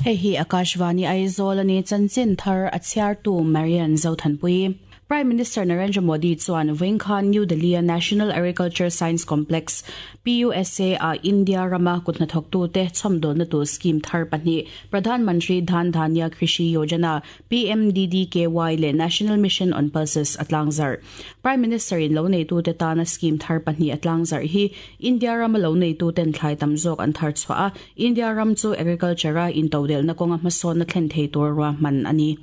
Hei hi Akashvani Aizawl a ni, chanchin thar a chhiartu Marian Zothanpui. Prime Minister Narendra Modi chuan vawiin khan New Delhi-a National Agriculture Science Complex, PUSA, ah India rama kut hnathawktute chhawmdawlna tur scheme thar pahnih, Pradhan Mantri Dhan Dhanya Krishi Yojana, PMDDKY, leh National Mission on Pulses a tlangzarh. Prime Minister-in lo neitute tana scheme thar pahnih a tlangzarh hi India rama lo neituten thlai tam zawk an thar chhuah a, India ram chu agriculture-a intodelhna kawnga hmasawnna thlen thei tur ruahman a ni.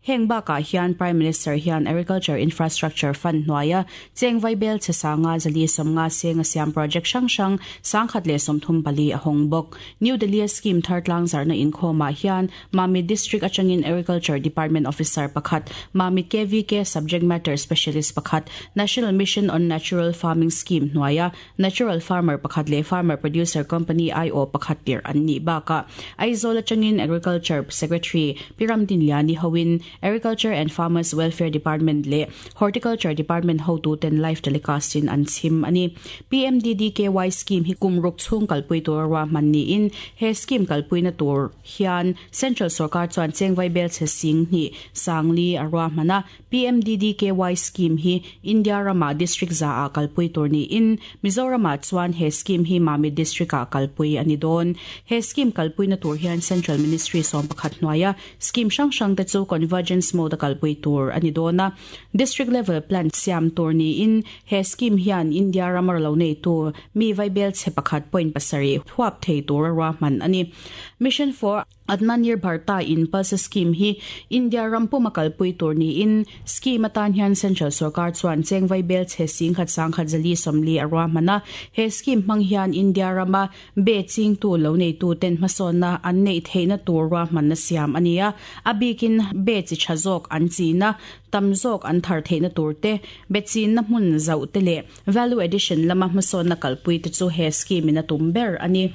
Heng bakah hian Prime Minister hian Agriculture Infrastructure Fund hnuaia cheng vaibel chhe sanga zali sawmnga senga siam project hrang hrang 1034 a hawng bawk. New Delhi-a scheme thar tlangzarhna inkhawmah hian Mamit District atangin Agriculture Department officer pakhat, Mamit KVK Subject Matter Specialist pakhat, National Mission on Natural Farming Scheme hnuaia Natural Farmer pakhat leh Farmer Producer Company aiawh pakhat tirh an nih bakah Aizawl atangin Agriculture Secretary Pi Ramdinliani hoin Agriculture and Farmers Welfare Department leh Horticulture Department hotuten live telecast in an chhim a ni. PMDDKY scheme hi kum ruk chhung kalpui tura ruahman niin he scheme kalpuina tur hian Central sorkar chuan chengvai bel chhe sing hnih sangli a ruahman a. PMDDKY scheme hi India ramah district za ah kalpui tur niin Mizoramah chuan he scheme hi Mamit district ah kalpui a ni dawn. He scheme kalpuina tur hian Central Ministry 11 hnuaia scheme hrang hrang te chu convergence mode a kalpui tur a ni dawn a. District level plan siam tur niin he scheme hian India rama lo neitu mi vaibel chhe pakhat point pasarih huap thei tura ruahman a ni. Mission for Atmanirbharta in Pulse Scheme hi India ram puma kalpui tur niin scheme atan hian Central sorkar chuan cheng vaibel chhe singkhat sangkhat zali sawmli a ruahman a. He scheme hmang hian India rama be chingtu lo neitu ten hmasawnna an neih theihna tur ruahmanna siam a ni a. A bikin be chi tha zawk an china, tam zawk an thar theihna tur te, be chinna hmun zauh te leh value addition lama hmasawnna kalpui te chu he scheme in a tum ber a ni.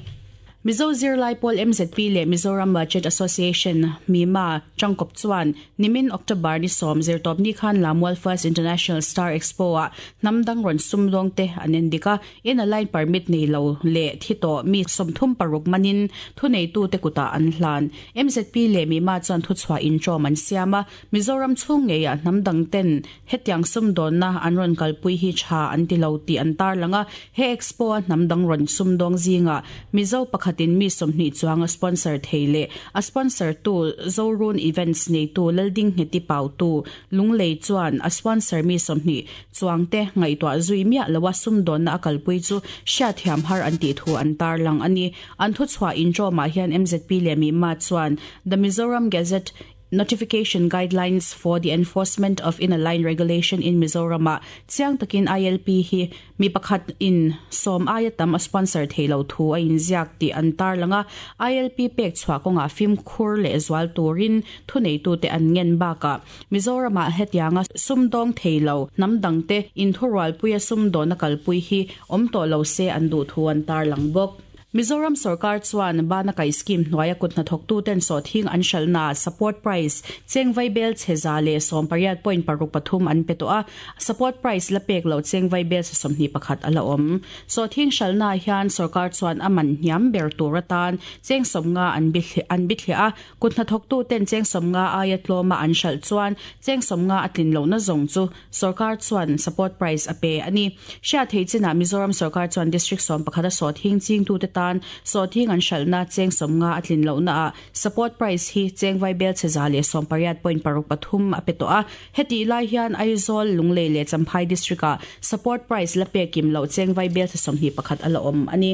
Mizo zirlai pawl MZP leh Mizoram Budget Association, MIMA, tangkawp chuan nimin October ni 10 zirtawp ni khan Lamual First International Star Expo-ah hnam dang rawn sumdawng te an en dik a, inner line permit nei lo leh thi tawh mi 36 manin thuneitute kutah an hlan. MZP leh MIMA chuan thuchhuah intawm an siam a, Mizoram chhung ngeiah hnam dang ten hetiang sumdawnna an rawn kalpui hi tha an ti lo tih an tarlang a, he expo a hnam dang rawn sumdawng zingah Mizo pakhatin mi 20 chuang a sponsor thei leh a sponsor tu Zorun Events neitu Laldingheti Pautu Lunglei chuan a sponsor mi 20 chuang te ngaihtuah zui miah loa sumdawnna a kalpui chu hriatthiam har an tih thu an tarlang a ni. An thuchhuah intawmah hian MZP leh MIMA chuan The Mizoram Gazette Notification Guidelines for the Enforcement of Inner Line Regulation in Mizoram ah chiang takin ILP hi mi pakhat in 10 aia tam a sponsor thei lo thu a inziak tih an tarlang a, ILP pek chhuah kawngah fimkhur leh zual turin thuneitute an ngen bakah Mizoram ah hetianga sumdawng thei lo hnam dangte inthurualpuia sumdawna kalpui hi awm tawh lo se an duh thu an tarlang bawk. Mizoram sorkar chuan bana kai scheme hnuaia kut hnathawktuten sawhthing an hralhnaah support price cheng vaibel chhe 118.63 an pe tawh a, support price la pek loh cheng vaibel chhe 21 a la awm. Sawhthing hralhnaah hian sorkar chuan a man hniam ber tur atan cheng 50 an an bithliah a, kut hnathawktuten cheng 50 aia tlawma an hralh chuan cheng 50 a tlin lohna zawng chu Sorkar chuan support price a pe a ni. Hriat theih chinah Mizoram sorkar chuan District 11 a sawhthing chingtute tan sawhthing an hralhna cheng 50 a tlin lohnaah support price hi cheng vaibel chhe 180.63 a pe tawh a. Hetih lai hian Aizawl, Lunglei leh Champhai District-ah support price la pek kim loh cheng vaibel chhe 21 a la awm a ni.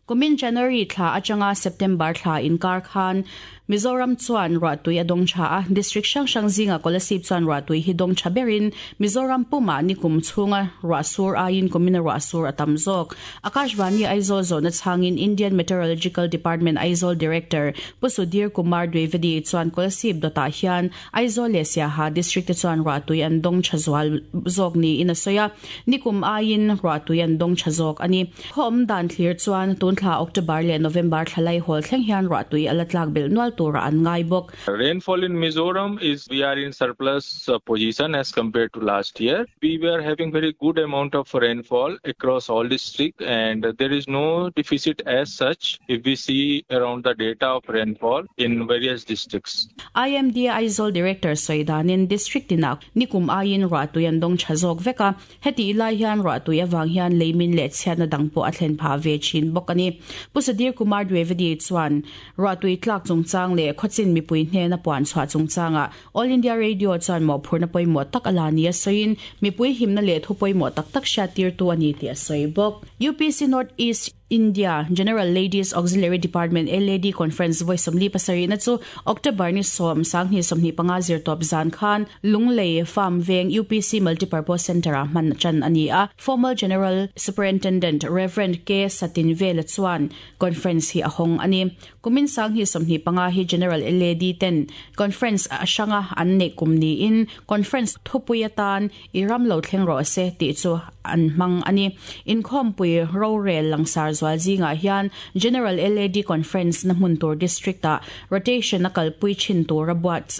Kumin January thla atanga September thla inkar khan Mizoram chuan ruahtui a dawng tha a, district hrang hrang zinga Kolasib chuan ruahtui hi dawng tha berin Mizoram pumah nikum chhunga ruahsur aiin kumina ruahsur a tam zawk. Akashvani Aizawl zawhna chhangin Indian Meteorological Department Aizawl Director Pu Sudhir Kumar Dwivedi chuan Kolasib dawtah hian Aizawl leh Siaha district te chuan ruahtui an dawng tha zual zawk niin a sawi a, nikum aiin ruahtui an dawng tha zawk a ni. Khaw awm dan thlir chuan tun Tun thla October leh November thla lai hawl thleng hian ruahtui a la tlak belh nual turah an ngai bawk. Rainfall in Mizoram is we are in surplus position as compared to last year. We were having very good amount of rainfall across all district and there is no deficit as such if we see around the data of rainfall in various districts. IMD Aizawl Director sawi danin District tinah nikum aiin ruahtui an dawng tha zawk vek a, hetih lai hian ruahtui avang hian leimin leh chhiatna dang pawh a thlen phah ve thin bawk a ni. Pu Sudhir Kumar Dwivedi chuan ruahtui tlak chungchang leh khawchin mipui hnena puan chhuah chungchangah All India Radio chuan mawhphurhna pawimawh tak a la nia sawiin mipui himna leh thu pawimawh tak tak hriattirtu a ni tih a sawi bawk. UPC North East India General Ladies Auxiliary Department, LAD, Conference vawi 47 na chu October ni 10, 2025 zirtawp zan khan Lunglei Farm Veng UPC Multipurpose Centre-ah hman tan a ni a. Formal General Superintendent Rev. K. Satinvela chuan Conference hi a hawng a ni. Kumin 2025 hi General LAD ten Conference a hranga an neih kum niin Conference thupui atan I ram lo thleng rawh se tih chu an hmang a ni. Inkhawmpui rorel langsar zual zingah hian General LAD Conference na hmun tur District-ah rotation a kalpui thin tura buat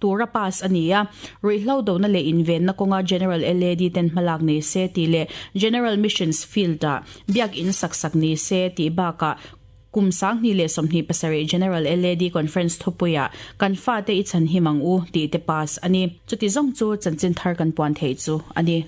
tura pass a ni a. Ruihhlo dona leh invenna kawnga General LAD ten hmalak nei se tih leh General Missions Field-ah biak in sak sak ni se tih bakah Kum 2027 General LAD Conference thupuiah Kan fate i chhan him ang u tih te pass a ni. Chuti zawng chu chanchin thar kan puan theih chu a ni.